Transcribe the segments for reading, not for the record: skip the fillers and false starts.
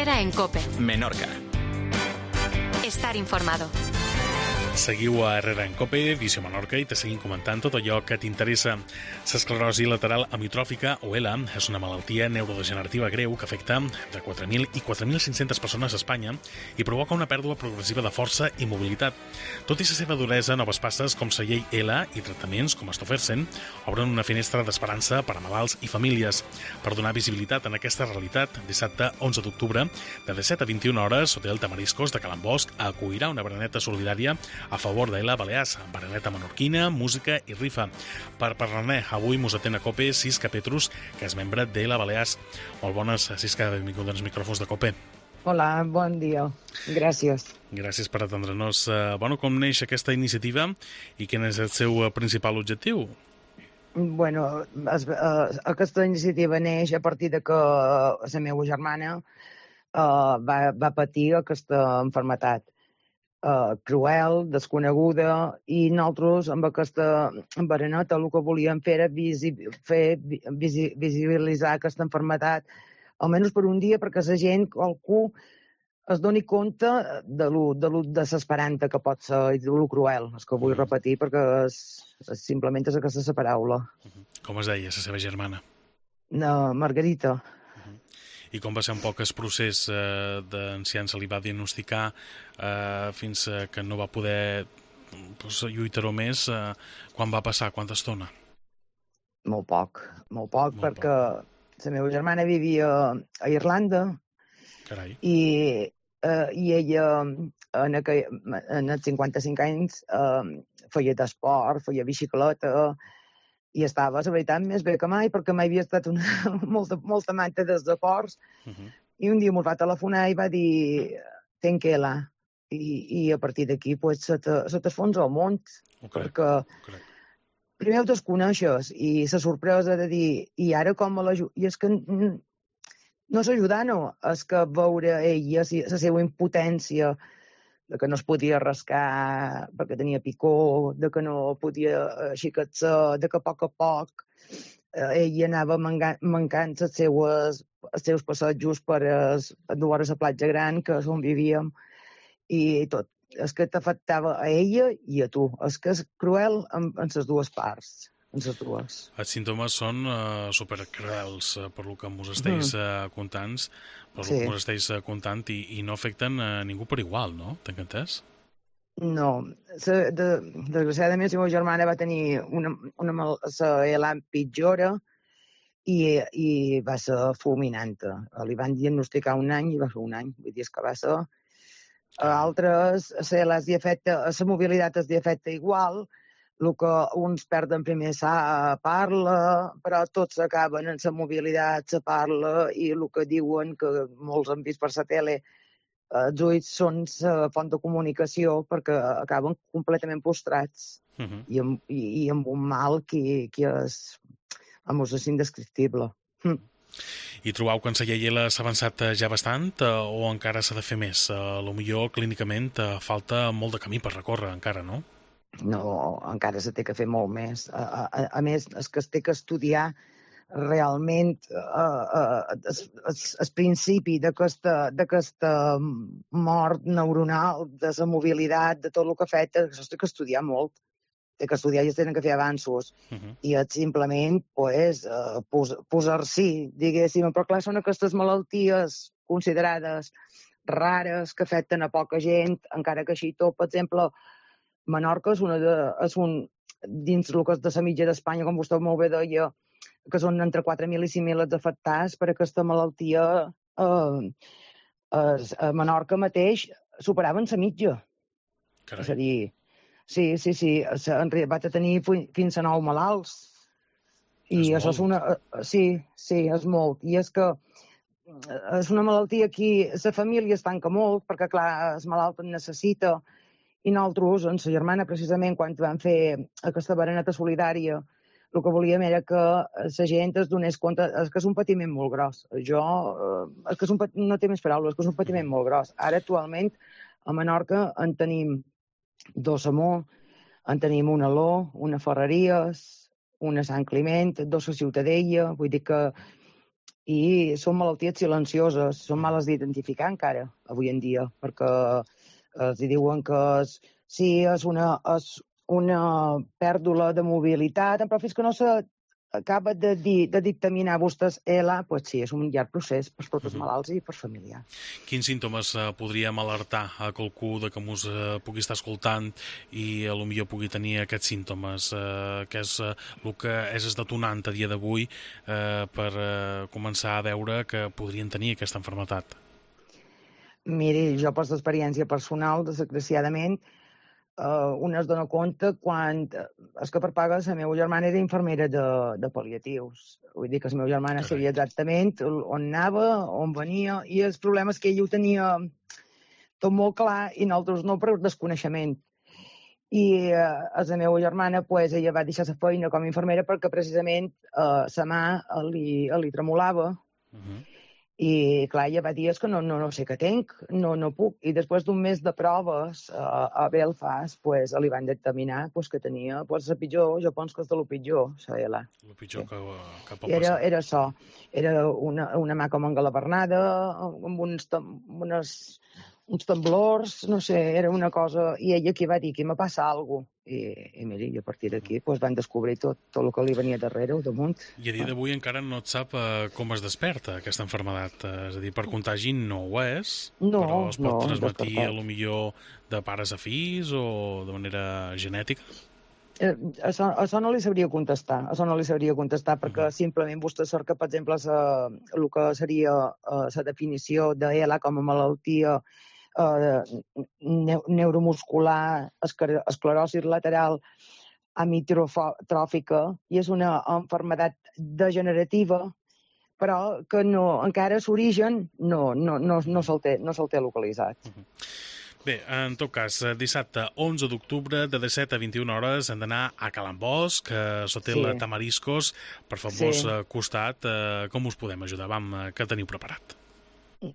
Herrera en COPE. Menorca. Estar informado. Seguiu a Herrera en COPE, Visió Menorca, i te seguim comentant tot allò que t'interessa. L'esclerosi lateral amitròfica, o ELA, és una malaltia neurodegenerativa greu que afecta entre 4.000 i 4.500 persones a Espanya i provoca una pèrdua progressiva de força i mobilitat. Tot i la seva duresa, noves passes com la llei ELA i tractaments com Stofersen obren una finestra d'esperança per a malalts i famílies. Per donar visibilitat en aquesta realitat, dissabte 11 d'octubre, de 17 a 21 hores, Hotel Tamariscos de Calambosc acollirà una bereneta solidària a favor d'Ela Balears, bereneta menorquina, música i rifa. Per parlar-ne, avui mos atén a COPE Sisca Petrus, que és membre d'Ela Balears. Molt bones, Sisca, benvinguda als micròfons de COPE. Hola, bon dia. Gràcies. Gràcies per atendre-nos. Com neix aquesta iniciativa i quin és el seu principal objectiu? Aquesta iniciativa neix a partir de que la meva germana va patir aquesta malaltia cruel, desconeguda, i nosaltres amb aquesta bereneta el que volíem fer era visibilitzar aquesta malaltia, almenys per un dia, perquè la gent, qualcú, es doni compte de l'esperant que pot ser i de lo cruel. És que vull repetir perquè simplement és aquesta paraula. Com es deia, la seva germana? Margarita. I com va ser un poc el procés d'enciant se li va diagnosticar fins que no va poder lluitar-ho més? Quan va passar? Quanta estona? Molt poc, perquè la meva germana vivia a Irlanda. Carai. I ella en els 55 anys feia d'esport, feia bicicleta, i estava, la veritat, més bé que mai, perquè mai havia estat molta manta dels deports. I un dia m'ho va telefonar i va dir tenc ELA. I a partir d'aquí se t'esfonsa el món. Perquè primer ho desconeixes i la sorpresa de dir i ara com me l'ajuda? I és que no és ajudar-no, és que veure ella, la seva impotència, de que no es podia rascar perquè tenia picor, de que no podia aixecar-se, de que a poc ella anava mancant els seus passejos per dur a la platja gran, que és on vivíem, i tot. És que t'afectava a ella i a tu. És que és cruel en les dues parts. Els símptomes són supercruels per lo que mos esteu contant, i no afecten a ningú per igual, no? T'he entès? No. Desgraciadament, la meva germana va tenir una ELA pitjora i va ser fulminant. Li van diagnosticar un any i va ser un any. Vull dir, és que va ser... A altres, la mobilitat es afecta igual. El que uns perden primer parla, però tots acaben en la mobilitat, se parla, i el que diuen, que molts han vist per la tele, els ulls són la font de comunicació perquè acaben completament postrats i amb un mal que és indescriptible. I trobeu que en la llei s'ha avançat ja bastant o encara s'ha de fer més? Potser clínicament falta molt de camí per recórrer encara, no? No, encara se té que fer molt més. A més, és que es té que estudiar realment el principi d'aquesta mort neuronal, de la mobilitat, de tot el que afecta, això es té que estudiar molt. Té que estudiar i es tenen que fer avanços. I és simplement posar-s'hi, diguéssim. Però clar, són aquestes malalties considerades rares que afecten a poca gent, encara que així tot, per exemple, Menorca és dins el que és de la mitja d'Espanya, com vostè molt bé deia, que són entre 4.000 i 5.000 els afectats per aquesta malaltia. A Menorca mateix superaven la mitja. Carai. És a dir, sí, en realitat va tenir fins a 9 malalts. I això és una... Sí, és molt. I és que és una malaltia que la família es tanca molt, perquè, clar, el malalt en necessita. I nosaltres, amb la germana, precisament, quan vam fer aquesta bereneta solidària, el que volíem era que la gent es donés compte que és un patiment molt gros. No té més paraules, que és un patiment molt gros. Ara, actualment, a Menorca en tenim 2 a Mó, en tenim una a Aló, una a Ferreries, una a Sant Climent, 2 a Ciutadella. Vull dir que i són malalties silencioses, són males d'identificar encara, avui en dia, perquè els diuen que és una pèrdua de mobilitat, però fins que no s'acaba de dictaminar vostès ELA, doncs sí, és un llarg procés per tots els malalts i per familiars. Quins símptomes podríem alertar a qualcú de que mos pugui estar escoltant i potser pugui tenir aquests símptomes? Què és el que és detonant a dia d'avui per començar a veure que podrien tenir aquesta malaltia? Miri, jo per l'experiència personal, desgraciadament, una es dona compte quan... És que per paga la meva germana era infermera de pal·liatius. Vull dir que la meva germana sabia exactament on anava, on venia, i els problemes que ella ho tenia tot molt clar i nosaltres no per desconeixement. I la meva germana, ella va deixar la feina com a infermera perquè precisament la mà li tremolava. I, clar, ella va dir, és que no sé què tinc, no puc. I després d'un mes de proves a Belfast, li van determinar que tenia la pitjor, jo penso que és de lo pitjor, la ELA. El pitjor que pot passar. Era això. Era una mà com engalabernada, amb uns temblors, no sé, era una cosa... I ella aquí va dir que me passa alguna cosa. I mira, a partir d'aquí van descobrir tot el que li venia darrere o damunt. I a dia d'avui encara no et sap com es desperta aquesta malaltia. És a dir, per contagi no ho és, però es pot transmetir potser de pares a fills o de manera genètica? Això no li sabria contestar, perquè simplement vostè sort que, per exemple, el que seria la definició d'ELA com a malaltia neuromuscular, esclerosi lateral amitrotròfica, i és una malaltia degenerativa, però que encara l'origen no se'l té localitzat. Bé, en tot cas, dissabte 11 d'octubre de 17 a 21 hores hem d'anar a Can Bosch, a l'hotel Tamariscos, per famós costat. Com us podem ajudar? Què teniu preparat?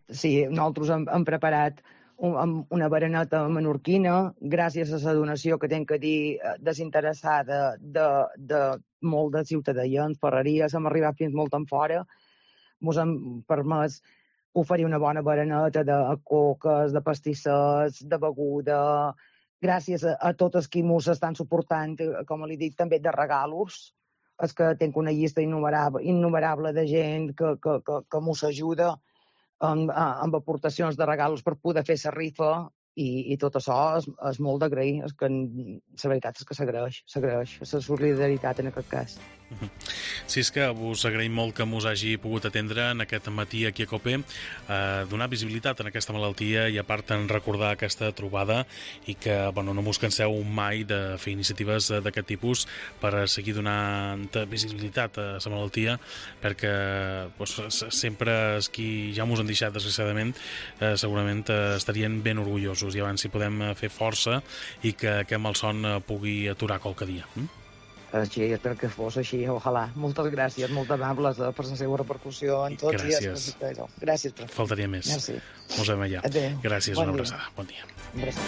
Sí, nosaltres hem preparat una bereneta menorquina, gràcies a la donació que tinc que dir desinteressada de molt de ciutadans, ferreries, hem arribat fins molt en fora, ens hem permès oferir una bona bereneta de coques, de pastissets, de beguda, gràcies a tots els qui ens estan suportant, com li dic, també de regalos. És que tinc una llista innumerable de gent que ens ajuda amb aportacions de regalos per poder fer la rifa, i tot això és molt d'agrair. És que la veritat és que s'agraeix la solidaritat en aquest cas. Sí, és que us agraïm molt que us hagi pogut atendre en aquest matí aquí a COPE, donar visibilitat en aquesta malaltia i a part en recordar aquesta trobada, i que no us canseu mai de fer iniciatives d'aquest tipus per seguir donant visibilitat a la malaltia, perquè sempre els qui ja ens han deixat desgraciadament segurament estarien ben orgullosos, i abans si podem fer força i que aquest malson pugui aturar qualque dia. Sí, espero que fos així, ojalà. Moltes gràcies, molt amables per la seva repercussió en tots. Gràcies. Gràcies. Faltaria més. Merci. Ens veiem allà. Adéu. Gràcies, una abraçada. Bon dia. Gràcies.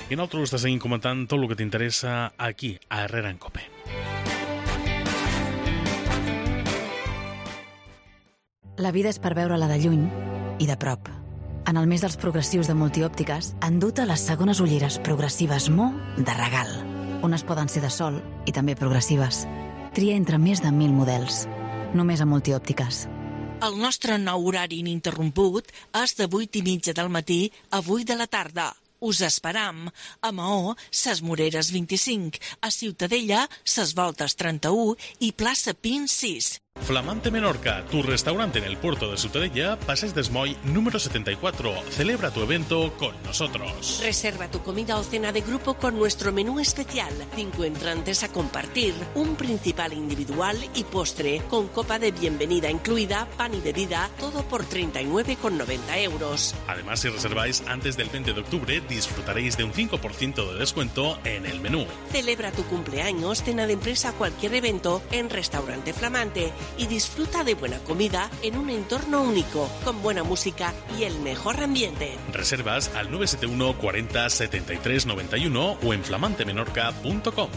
I nosaltres te seguim comentant tot el que t'interessa aquí, a Herrera en COPE. La vida és per veure-la de lluny i de prop. En el mes dels progressius de Multiòptiques han dut a les segones ulleres progressives Mo de regal. Unes poden ser de sol i també progressives. Tria entre més de 1.000 models. Només a Multiòptiques. El nostre nou horari ininterromput és de 8:30 del matí a 8 de la tarda. Us esperam. A Maó, Ses Moreres 25. A Ciutadella, Ses Voltes 31 i plaça Pins 6. Flamante Menorca, tu restaurante en el puerto de Ciutadella, Passeig d'Esmoll, número 74. Celebra tu evento con nosotros. Reserva tu comida o cena de grupo con nuestro menú especial. 5 entrantes a compartir, un principal individual y postre, con copa de bienvenida incluida, pan y bebida, todo por 39,90 euros. Además, si reserváis antes del 20 de octubre, disfrutaréis de un 5% de descuento en el menú. Celebra tu cumpleaños, cena de empresa, cualquier evento en Restaurante Flamante y disfruta de buena comida en un entorno único, con buena música y el mejor ambiente. Reservas al 971 40 73 91 o en flamantemenorca.com.